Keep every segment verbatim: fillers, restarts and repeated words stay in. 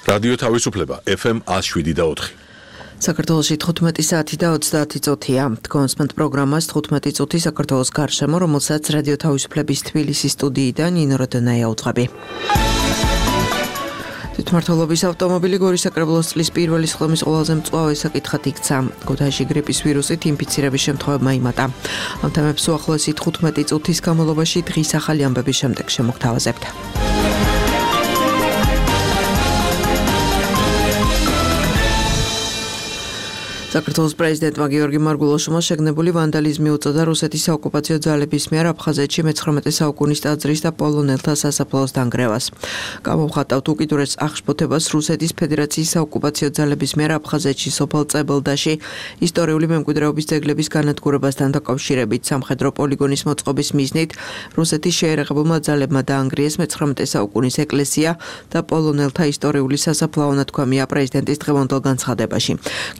რადიო თავისუფლება ეფ ემ ათს შვიდი და ოთხი. საქართველოში თხუთმეტი საათი და ოცდაათი წუთია. თქვენსმენთ პროგრამას თხუთმეტი წუთი საქართველოს გარშემო, რომელსაც რადიო თავისუფლების თბილისის სტუდიიდან ნინო როდონაია უძღვები. თვითმმართველობის ავტომობილი გორის საკრებულოს წლის პირველი სხდომის ყველაზე მწვავე საკითხად იქცა. ქუთაისში გრიპის ვირუსით ინფიცირების შემთხვევებმა იმატა. ამ თემებს უახლოესი თხუთმეტი წუთის განმავლობაში დღის ახალი ამბების შემდეგ შემოგთავაზებთ. საქართველოს პრეზიდენტმა გიორგი მარგულოშმა შეგნებული ვანდალიზმი უწოდა რუსეთის საოკუპაციო ძალების მიერ აფხაზეთში მეცხრამეტე საუკუნის ტაძრის და პოლონელთა სასაფლაოს დანგრევას. გამოვხატავთ უკიდურეს აღშფოთებას რუსეთის ფედერაციის საოკუპაციო ძალების მიერ აფხაზეთში სოფელ წებელდაში ისტორიული მემკვიდრეობის ძეგლების განადგურებასთან დაკავშირებით სამხედრო პოლიგონის მოწყობის მიზნით რუსეთის შეერაღებულმა ძალებმა დაანგრიეს მეცხრამეტე საუკუნის ეკლესია და პოლონელთა ისტორიული სასაფლაო, ნათქვამია პრეზიდენტის დღევანდელ განცხადებაში.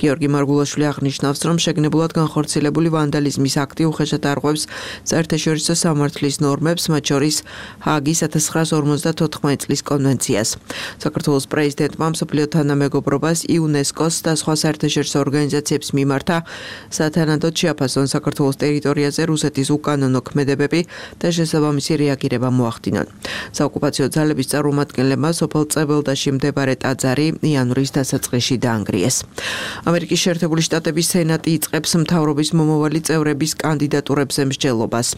გიორგი მარგულოშმა აღნიშნავს, რომ შეგნებულად განხორციელებული ვანდალიზმის აქტი უხეშად არღვევს საერთაშორისო სამართლის ნორმებს, მათ შორის ჰააგის ათას ცხრაას ორმოცდათოთხმეტ წლის კონვენციას. საქართველოს პრეზიდენტმა მსოფლიო თანამეგობრობას, იუნესკოს და სხვა საერთაშორისო ორგანიზაციებს მიმართა სათანადოდ შეაფასონ საქართველოს ტერიტორიაზე რუსეთის უკანონო ქმედებები და შესაბამისი რეაგირება მოახდინონ. საოკუპაციო ძალების წარმომადგენლებმა სოფელ წებელდაში მდებარე ტაძარი იანვრის დასაწყისში დაანგრიეს. ამერიკის შეერთებული შტატების სენატი იწყებს მთავრობის მომავალი წევრების კანდიდატურებზე მსჯელობას.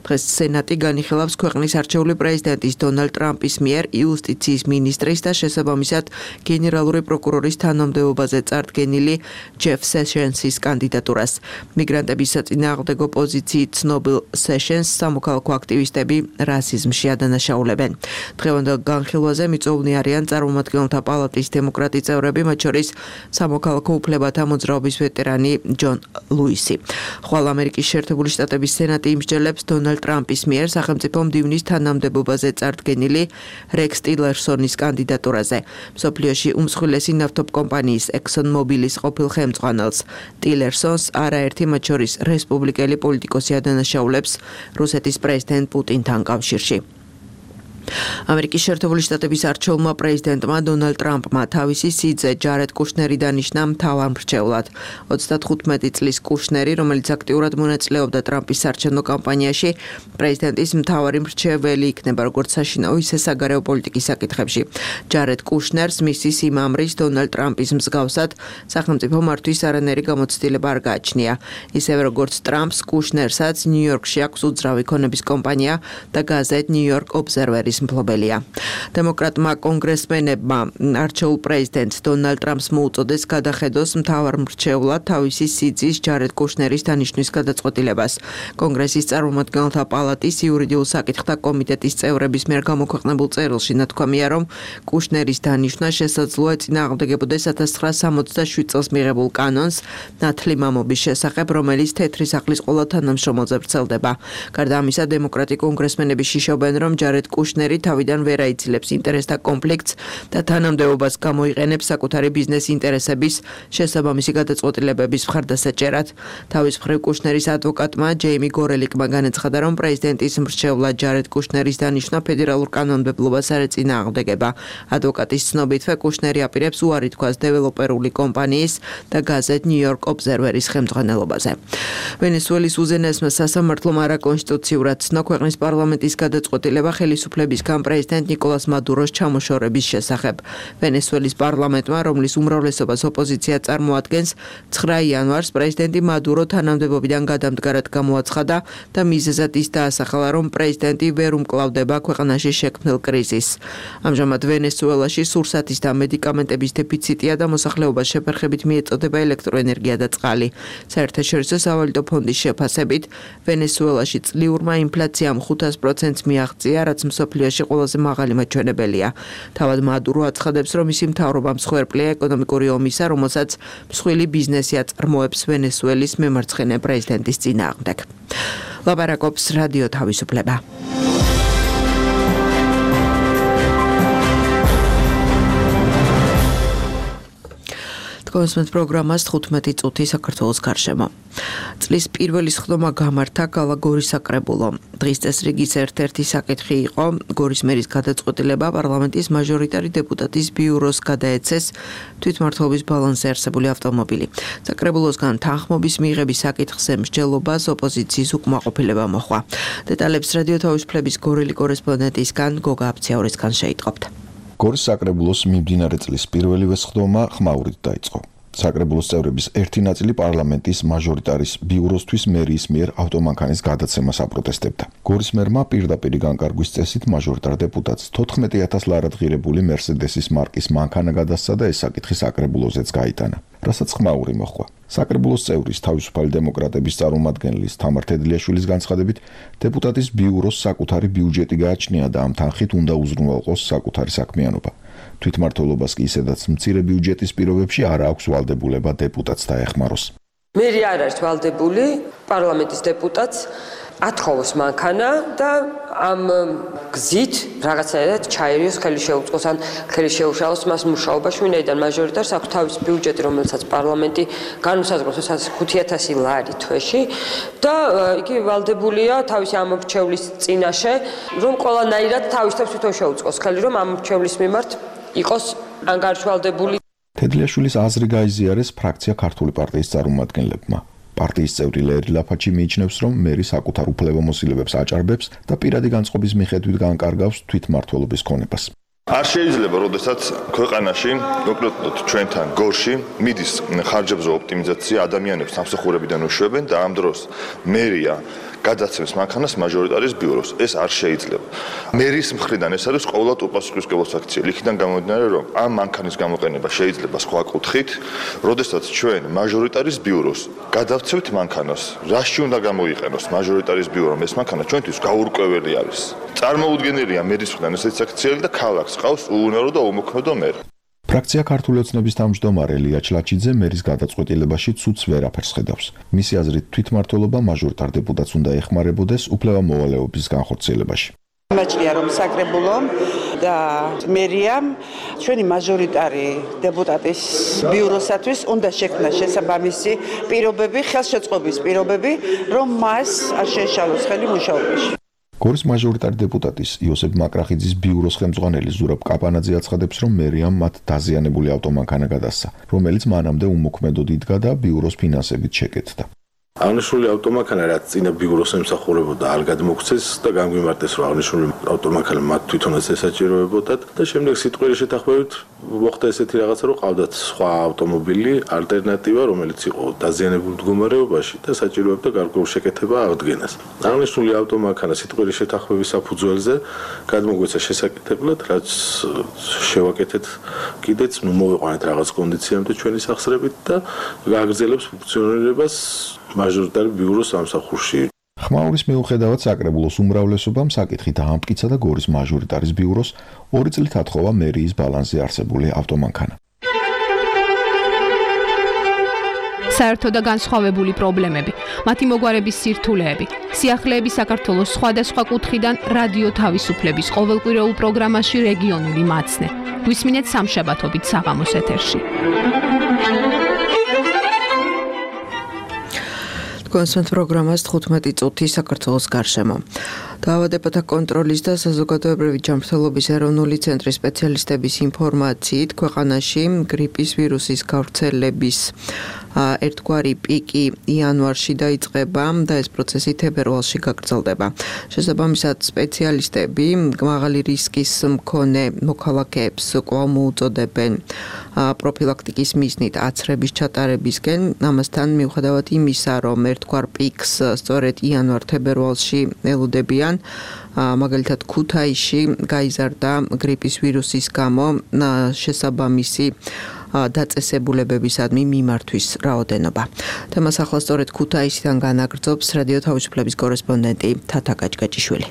დღეს სენატი განიხილავს ქვეყნის არჩეული პრეზიდენტის დონალდ ტრამპის მიერ იუსტიციის მინისტრის და შესაბამისად გენერალური პროკურორის თანამდებობაზე წარდგენილი ჯეფ სეშენსის კანდიდატურას. მიგრანტების საწინააღმდეგო პოზიციით ცნობილ სეშენს სამოქალაქო აქტივისტები რასიზმში ადანაშაულებენ. დღევანდელ განხილვაზე მიწვეულნი არიან წარმომადგენელთა პალატის დემოკრატი წევრები, მათ შორის სამოქალაქო უფლებათა მოძრაობის ვეტერანი ჯონ ლუისი. ხვალ ამერიკის შეერთებული შტატების სენატი იმსჯელებს დონალდ ტრამპის მიერ სახელმწიფო მდივნის თანამდებობაზე წარდგენილი რექს ტილერსონის კანდიდატურაზე. მსოფლიოში უმსხვილესი ნავთობკომპანიის ექსონ მობილის ყოფილ ხელმძღვანელს ტილერსონს არაერთი, მათ შორის რესპუბლიკელი პოლიტიკოსი ადანაშაულებს რუსეთის პრეზიდენტ პუტინთან კავშირში. ამერიკის შეერთებული შტატების არჩეულმა პრეზიდენტმა დონალდ ტრამპმა თავისი სიძე ჯარედ კუშნერი დანიშნა მთავარ მრჩევლად. ოცდათხუთმეტი წლის კუშნერი, რომელიც აქტიურად მონაწილეობდა ტრამპის საარჩევნო კამპანიაში, პრეზიდენტის მთავარი მრჩეველი იქნება როგორც საშინაო, ისე საგარეო პოლიტიკის საკითხებში. ჯარედ კუშნერს მისი სიმამრის დონალდ ტრამპის მსგავსად სახელმწიფო მართვის არანაირი გამოცდილება არ გააჩნია. ისევე როგორც ტრამპს, კუშნერსაც ნიუ-იორკში აქვს უძრავი ქონების კომპანია და გაზეთ ნიუ-იორკ ობზერვერი მფლობელია. დემოკრატმა კონგრესმენებმა არჩეულ პრეზიდენტს დონალდ ტრამპს მოუწოდეს გადახედოს მთავარ მრჩევლად თავისი სიძის ჯარედ კუშნერის დანიშვნის გადაწყვეტილებას. კონგრესის წარმომადგენელთა პალატის იურიდიულ საკითხთა კომიტეტის წევრების მიერ გამოქვეყნებულ წერილში ნათქვამია, რომ კუშნერის დანიშვნა შესაძლოა ეწინააღმდეგებოდეს ათას ცხრაას სამოცდაშვიდ წელს მიღებულ კანონს ნათლი მამობის შესახებ, რომელიც თეთრი სახლის ყველა თანამშრომელზე ვრცელდება. გარდა ამისა, დემოკრატი კონგრესმენები შიშობენ, რომ ჯარედ კუშნერი თავიდან ვერ აიცილებს ინტერესთა კონფლიქტს და თანამდებობას გამოიყენებს საკუთარი ბიზნეს ინტერესების შესაბამისი გადაწყვეტილებების მხარდასაჭერად. თავის მხრივ კუშნერის ადვოკატმა ჯეიმი გორელიკმა განაცხადა, რომ პრეზიდენტის მრჩევლად ჯარედ კუშნერის დანიშვნა ფედერალურ კანონმდებლობას არ ეწინააღმდეგება. ადვოკატის ცნობითვე კუშნერი აპირებს უარი თქვას დეველოპერული კომპანიის და გაზეთ ნიუ-იორკ ობზერვერის ხელმძღვანელობაზე. ვენესუელის უზენაესმა სასამართლომ არაკონსტიტუციურად ცნო ქვეყნის პარლამენტის გადაწყვეტილება ხელისუფლების პრეზიდენტ ნიკოლას მადუროს ჩამოშორების შესახებ. ვენესუელის პარლამენტმა, რომლის უმრავლესობას ოპოზიცია წარმოადგენს, ცხრა იანვარს პრეზიდენტი მადურო თანამდებობიდან გადამდგარად გამოაცხადა და მიზეზად ის დაასახელა, რომ პრეზიდენტი ვერ უმკლავდება ქვეყანაში შექმნილ კრიზისს. ამჟამად ვენესუელაში სურსათის და მედიკამენტების დეფიციტია და მოსახლეობას შეფერხებით მიეწოდება ელექტროენერგია და წყალი. საერთაშორისო სავალუტო ფონდის შეფასებით, ვენესუელაში წლიურმა ინფლაციამ ხუთას პროცენტს მიაღწია, რაც მსოფლიოში ყველაზე მაღალი მაჩვენებელია. თავად მადურო აცხადებს, რომ მისი მთავრობა მსხვერპლია ეკონომიკური ომისა, რომელსაც მსხვილი ბიზნესი აწარმოებს ვენესუელის მემარცხენე პრეზიდენტის წინააღმდეგ. ლაპარაკობს რადიო თავისუფლება. კონსმეთ პროგრამას თხუთმეტი წუთი საქართველოს გარშემო. წლის პირველი სხდომა გამართა გალა გორის საკრებულო. დღის წესრიგის ერთ-ერთი საკითხი იყო გორის მერის გადაწყვეტილება პარლამენტის მაჟორიტარი დეპუტატის ბიუროს გადაეცეს თვითმმართველობის ბალანსზე არსებული ავტომობილი. საკრებულოსგან თანხმობის მიღების საკითხზე მსჯელობას ოპოზიციის უკმაყოფილება მოჰყვა. დეტალებს რადიო თავისუფლების გორელი კორესპონდენტისგან გოგა აფციაურისგან შეიტყობთ. გორის საკრებულოს მიმდინარე წლის პირველივე სხდომა ხმაურით დაიწყო. საკრებულოს წევრების ერთი ნაწილი პარლამენტის მაჟორიტარის ბიუროსთვის მერიის მიერ ავტომანქანის გადაცემას აპროტესტებდა. გორის მერმა პირდაპირი განკარგვის წესით მაჟორიტარ დეპუტატს თოთხმეტი ათას ლარად ღირებული მერსედესის მარკის მანქანა გადასცა და ეს საკითხი საკრებულოზეც გაიტანა, რასაც ხმაური მოჰყვა. საკრებულოს წევრის თავისუფალი დემოკრატების წარმომადგენლის თამარ თედლიაშვილის განცხადებით, დეპუტატის ბიუროს საკუთარი ბიუჯეტი გააჩნია და ამ თანხით უნდა უზრუნველყოს საკუთარი საქმიანობა. თვითმმართველობას კი ისედაც მცირე ბიუჯეტის პირობებში არ აქვს ვალდებულება დეპუტატს დაეხმაროს. მერი არ არის ვალდებული პარლამენტის დეპუტატს ათხოვოს მანქანა და ამ გზით რაღაცნაირად ჩაერიოს, ხელი შეუწყოს ან ხელი შეუშალოს მას მუშაობაში, ვინაიდან მაჟორიტარს აქვს თავის ბიუჯეტი, რომელსაც პარლამენტი განუსაზღვრავს ხუთი ათასი ლარი თვეში და იგი ვალდებულია თავისი ამორჩევლის წინაშე, რომ ყველანაირად თავის თავს თვითონ შეუწყოს ხელი, რომ ამორჩევლის მიმართ იყოს ანგარიშვალდებული. თედლიაშვილის აზრი გაიზიარეს ფრაქცია ქართული პარტიის წარმომადგენლებმა. პარტიის წევრი ლერი ლაფაჩი მიიჩნევს, რომ მერი საკუთარ უფლებამოსილებებს აჭარბებს და პირადი განწყობის მიხედვით განკარგავს თვითმმართველობის ქონებას. არ შეიძლება, როდესაც ქვეყანაში, კონკრეტულად ჩვენთან გორში, მიდის ხარჯებზე ოპტიმიზაცია, ადამიანებს სამსახურებიდან უშვებენ და ამ დროს მერია გადაცემს მანქანას მაჟორიტარის ბიუროს. ეს არ შეიძლება. მერის მხრიდან ეს არის ყოველდღიურად უპასუხისმგებლობის აქცია. იქიდან გამომდინარე, რომ ამ მანქანის გამოყენება შეიძლება სხვა კუთხით, როდესაც ჩვენ მაჟორიტარის ბიუროს გადავცევთ მანქანას, რაში უნდა გამოიყენოს მაჟორიტარის ბიურო, ეს მანქანა ჩვენთვის გაურკვეველი არის. წარმოუდგენელია მერის მხრიდან ესეთი აქცია და ქალაქს ყავს უუნარო და უმოქმედო მერი. ფრაქცია ქართული ოცნების თავმჯდომარე ლია ჩლაჩიძე მერის გადაწყვეტილებაში ცუდს ვერაფერს ხედავს. მისი აზრით თვითმმართველობა მაჟორიტარ დეპუტატს უნდა ეხმარებოდეს უფლება-მოვალეობის განხორციელებაში. მაჭია რომ საკრებულო და მერიამ ჩვენი მაჟორიტარი დეპუტატის ბიუროსათვის უნდა შექმნა შესაბამისი პირობები, ხელშეწყობის პირობები, რომ მას არ შეეშალოს ხელი მუშაობაში. გორის მაჟორიტარი დეპუტატის იოსებ მაკრახიძის ბიუროს ხელმძღვანელი ზურაბ კაპანაძე აცხადებს, რომ მერიამ მათ დაზიანებული ავტომანქანა გადასცა, რომელიც მანამდე უმოქმედოდ იდგა და ბიუროს ფინანსებით შეკეთდა. აღნიშნული ავტომანქანა რაც წინა ბიუროს ემსახურებოდა არ გადმოგვცეს და განგვიმარტეს, რომ აღნიშნული ავტომანქანა მათ თვითონაც ესაჭიროებოდათ და შემდეგ სიტყვიერი შეთანხმებით მოხდა ესეთი რაღაცა, რომ ყავდათ სხვა ავტომობილი ალტერნატივა, რომელიც იყო დაზიანებულ მდგომარეობაში და საჭიროებდა გარკვეულ შეკეთება აღდგენას. აღნიშნული ავტომანქანა სიტყვიერი შეთანხმების საფუძველზე გადმოგვეცა შესაკეთებლად, რაც შევაკეთეთ კიდეც, ნუ მოვიყვანეთ რაღაც კონდიციამდე ჩვენი სახსრებით და გააგრძელებს ფუნქციონირებას მაჟორიტარი ბიუროს სამსახურში. ხმაურის მიუხედავად საკრებულოს უმრავლესობამ საკითხი დაამტკიცა და გორის მაჟორიტარის ბიუროს ორი წლით ათხოვა მერიის ბალანსზე არსებული ავტომანქანა. საერთო და განსხვავებული პრობლემები, მათი მოგვარების სირთულეები, სიახლეები საქართველოს სხვადასხვა კუთხიდან რადიო თავისუფლების ყოველკვირეულ პროგრამაში რეგიონული მაცნე. გვისმინეთ სამშაბათობით საღამოს ეთერში. კონსმეთ პროგრამას თხუთმეტი წუთი საქართველოს გარშემო. დაავადებათა კონტროლის და საზოგადოებრივი ჯანმრთელობის ეროვნული ცენტრის სპეციალისტების ინფორმაციით, ქვეყანაში გრიპის ვირუსის გავრცელების ერთგვარი პიკი იანვარში დაიწყება და ეს პროცესი თებერვალში გაგრძელდება. შესაბამისად, სპეციალისტები მაღალი რისკის მქონე მოქალაქეებს კვლავ მოუწოდებენ პროფილაქტიკის მიზნით აცრების ჩატარებისკენ. ამასთან მიუხედავად იმისა, რომ ერთგვარ პიკს სწორედ იანვარ-თებერვალში ელოდებიან, მაგალითად ქუთაისში გაიზარდა გრიპის ვირუსის გამო შესაბამისი დაწესებულებებისადმი მიმართვის რაოდენობა. თემას ახლა სწორედ ქუთაისიდან განაგრძობს რადიო თავისუფლების კორესპონდენტი თათა გაჭგაჭიშვილი.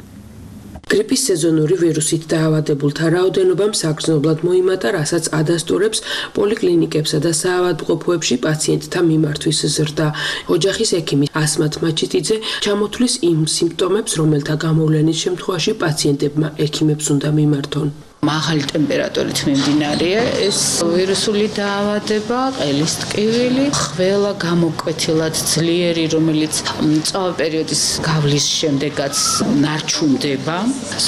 გრიპის სეზონური ვირუსით დაავადებულთა რაოდენობამ საგრძნობლად მოიმატა, რასაც ადასტურებს პოლიკლინიკებსა და საავადმყოფოებში პაციენტთა მიმართვის ზრდა. ოჯახის ექიმი ასმათ მაჩიტიძე ჩამოთვლის იმ სიმპტომებს, რომელთა გამოვლენის შემთხვევაში პაციენტებმა ექიმებს უნდა მიმართონ. მაღალი ტემპერატურით მიმდინარეა ეს ვირუსული დაავადება, ყელის ტკივილი, ხველა გამოკვეთილად ძლიერი, რომელიც მწვავე პერიოდის გავლის შემდეგაც ნარჩუნდება,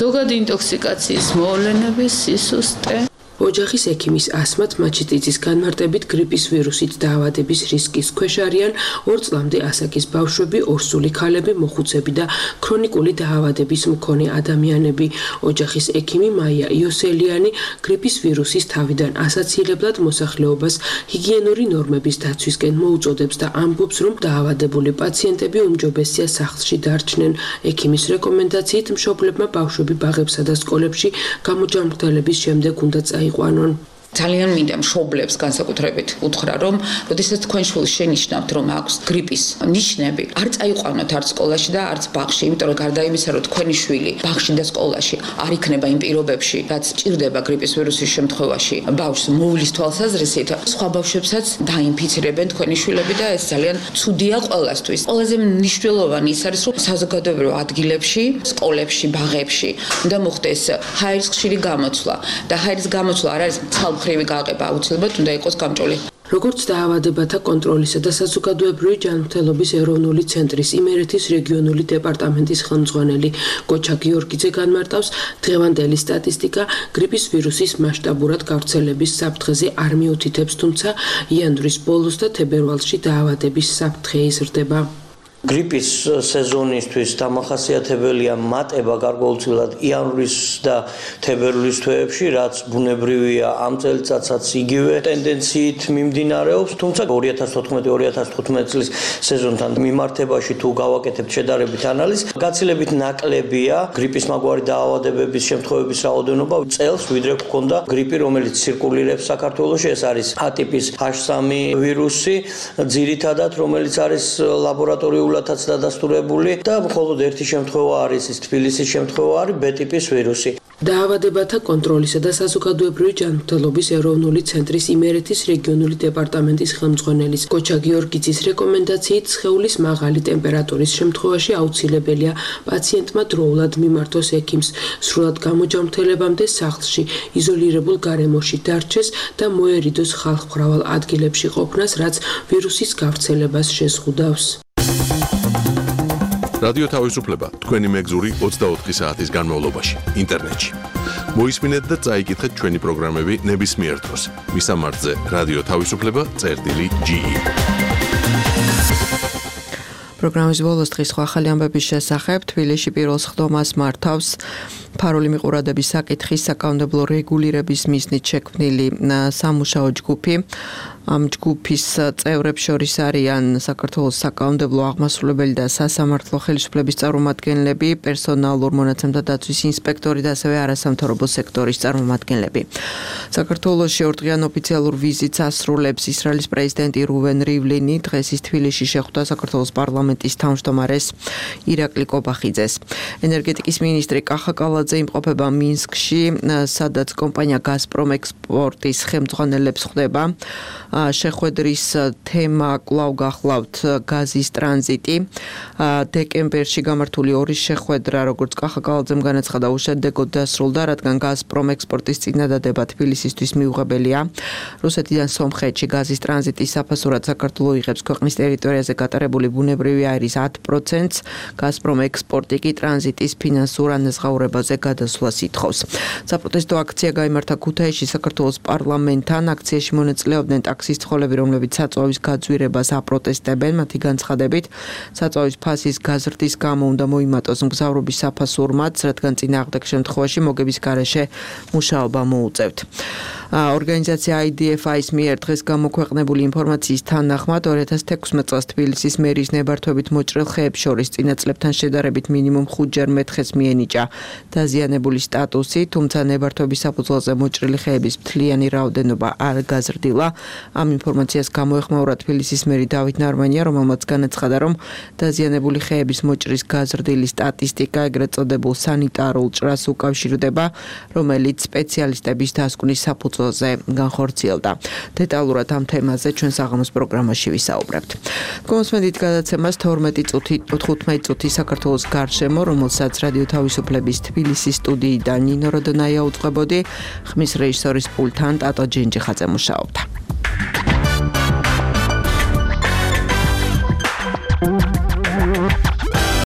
ზოგადი ინტოქსიკაციის მოვლენები, სისუსტე. ოჯახის ექიმის ასმათ მაჩიტიძის განმარტებით გრიპის ვირუსით დაავადების რისკის ქვეშ არიან ორ წლამდე ასაკის ბავშვები, ორსული ქალები, მოხუცები და ქრონიკული დაავადების მქონე ადამიანები. ოჯახის ექიმი მაია იოსელიანი გრიპის ვირუსის თავიდან ასაცილებლად მოსახლეობას ჰიგიენური ნორმების დაცვისკენ მოუწოდებს და ამბობს, რომ დაავადებული პაციენტები უმჯობესია სახლში დარჩნენ. ექიმის რეკომენდაციით მშობლებმა ბავშვები ბაღებსა და სკოლებში გამოჯანმრთელების შემდეგ უნდა წაიყვანონ. ძალიან მინდა მშობლებს განსაკუთრებით უთხრა, რომ როდესაც თქვენ შვილს შენიშნავთ, რომ აქვს გრიპის ნიშნები, არ წაიყვანოთ არც სკოლაში და არც ბაღში, იმიტომ რომ გარდა იმისა, რომ თქვენი შვილი ბაღში და სკოლაში არ იქნება იმ პირობებში, რაც ჭირდება გრიპის ვირუსის შემთხვევაში, ბავშვს მოვლის თვალსაზრისით, სხვა ბავშვებსაც დაინფიცირებენ თქვენი შვილები და ეს ძალიან ცუდია ყველასთვის. ყველაზე მნიშვნელოვანი ის არის, რომ საზოგადოებრივ ადგილებში, სკოლებში, ბაღებში უნდა მოხდეს ჰაერის ხშირი გამოცვლა და ჰაერის გამოცვლა არ არის ცალ ხრივი გაყება, აუცილებლად უნდა იყოს გამჭოლი. როგორც დაავადებათა კონტროლისა და საზოგადოებრივი ჯანმრთელობის ეროვნული ცენტრის იმერეთის რეგიონული დეპარტამენტის ხელმძღვანელი გოჩა გიორგიძე განმარტავს, დღევანდელი სტატისტიკა გრიპის ვირუსის მასშტაბურად გავრცელების საფრთხეზე არ მიუთითებს, თუმცა იანვრის ბოლოს და თებერვალში დაავადების საფრთხე იზრდება. გრიპის სეზონისთვის დამახასიათებელია მატება გარკვეულწილად იანვრის და თებერვლის თვეებში, რაც ბუნებრივია ამ წელიწადსაც იგივე ტენდენციით მიმდინარეობს, თუმცა ორი ათას თოთხმეტი ორი ათას თხუთმეტი წლის სეზონთან მიმართებაში თუ გავაკეთებთ შედარებით ანალიზს, გაცილებით ნაკლებია გრიპის მაგვარი დაავადებების შემთხვევების რაოდენობა წელს, ვიდრე გქონდა გრიპი, რომელიც ცირკულირებს საქართველოში, ეს არის ატიპის ჰაჩ სამი ვირუსი, ძირითადად რომელიც არის ლაბორატორიული დადასტურებული და მხოლოდ ერთი შემთხვევა არის ის თბილისის შემთხვევა არის ბ ტიპის ვირუსი. დაავადებათა კონტროლისა და საზოგადოებრივი ჯანმრთელობის ეროვნული ცენტრის იმერეთის რეგიონული დეპარტამენტის ხელმძღვანელის გოჩა გიორგიძის რეკომენდაციით სხეულის მაღალი ტემპერატურის შემთხვევაში აუცილებელია პაციენტმა დროულად მიმართოს ექიმს, სრულად გამოჯანმრთელებამდე სახლში, იზოლირებულ გარემოში დარჩეს და მოერიდოს ხალხმრავალ ადგილებში ყოფნას, რაც ვირუსის გავრცელებას შეზღუდავს. რადიო თავისუფლება თქვენი მეგზური ოცდაოთხი საათის განმავლობაში ინტერნეტში. მოისმინეთ და წაიკითხეთ ჩვენი პროგრამები ნებისმიერ დროს. მისამართზე რადიო თავისუფლება წერტილი ჯი ი. პროგრამის ბოლოს დღის სხვა ახალი ამბების შესახებ თბილისში პირველ სხდომას მართავს ფარული მიყურადების საკითხის საკანონმდებლო რეგულირების მიზნით შექმნილი სამუშაო ჯგუფი. ამ ჯგუფის წევრებს შორის არიან საქართველოს საკანონმდებლო აღმასრულებელი და სასამართლო ხელისუფლების წარმომადგენლები, პერსონალურ მონაცემთა დაცვის ინსპექტორი და ასევე არასამთავრობო სექტორის წარმომადგენლები. საქართველოში ორდღიან ოფიციალურ ვიზიტს ასრულებს ისრაელის პრეზიდენტი რუვენ რივლინი, დღეს ის თბილისში შეხვდა საქართველოს პარლამენტის თავმჯდომარეს ირაკლი კობახიძეს. ენერგეტიკის მინისტრი კახა კალაძე იმყოფება მინსკში, სადაც კომპანია გაზპრომ ექსპორტის ხელმძღვანელებს ხვდება. შეხვედრის თემა კვლავ გახლავთ გაზის ტრანზიტი. დეკემბერში გამართული ორი შეხვედრა, როგორც კახა კალაძემ განაცხადა, უშედეგოდ დასრულდა, რადგან გაზპრომ ექსპორტის წინადადება თბილისისთვის მიუღებელია. რუსეთიდან სომხეთში გაზის ტრანზიტის საფასურად საქართველო იღებს ქვეყნის ტერიტორიაზე გატარებული ბუნებრივი აირის ათ პროცენტს, გაზპრომ ექსპორტი კი ტრანზიტის ფინანსურ ანაზღაურებაზე გადასვლას ითხოვს. საპროტესტო აქცია გაიმართა ქუთაისში საქართველოს პარლამენტთან. აქციაში მონაწილეობდნენ ტაქსის ცხოველები, რომლებიც საწვავის გაძვირებას აპროტესტებენ. მათი განცხადებით, საწვავის ფასის გაზრდის გამო უნდა მოიმატოს მგზავრობის საფასურმაც, რადგან წინააღმდეგ შემთხვევაში მოგების გარეშე მუშაობა მოუწევთ. ორგანიზაცია აი დი ეფ აის მიერ დღეს გამოქვეყნებული ინფორმაციის თანახმად ორი ათას თექვსმეტ წელს თბილისის მერის ნებართვებით მოჭრილ ხეებს შორის წინა წლებთან შედარებით მინიმუმ ხუთჯერ მეთხეს მიენიჭა დაზიანებული სტატუსი, თუმცა ნებართვების საფუძველზე მოჭრილი ხეების მთლიანი რაოდენობა არ გაზრდილა. ამ ინფორმაციას გამოეხმაურა თბილისის მერი დავით ნარმანია, რომელმაც განაცხადა, რომ დაზიანებული ხეების მოჭრის გაზრდილი სტატისტიკა ეგრეთ წოდებულ სანიტარულ ჭრას უკავშირდება, რომელიც სპეციალისტების დასკვნის საფუძველზე განხორციელდა. დეტალურად ამ თემაზე ჩვენ საღამოს პროგრამაში ვისაუბრებთ. გომოსმენდით გადაცემას თორმეტი წუთი თხუთმეტი წუთი საქართველოს გარშემო, რომელსაც რადიო თავისუფლების თბილისის სტუდიიდან ნინო როდონაია უწყებოდი, ხმის რეჟისორის პულტთან ტატო ჯენჯიხაძე მუშაობდა.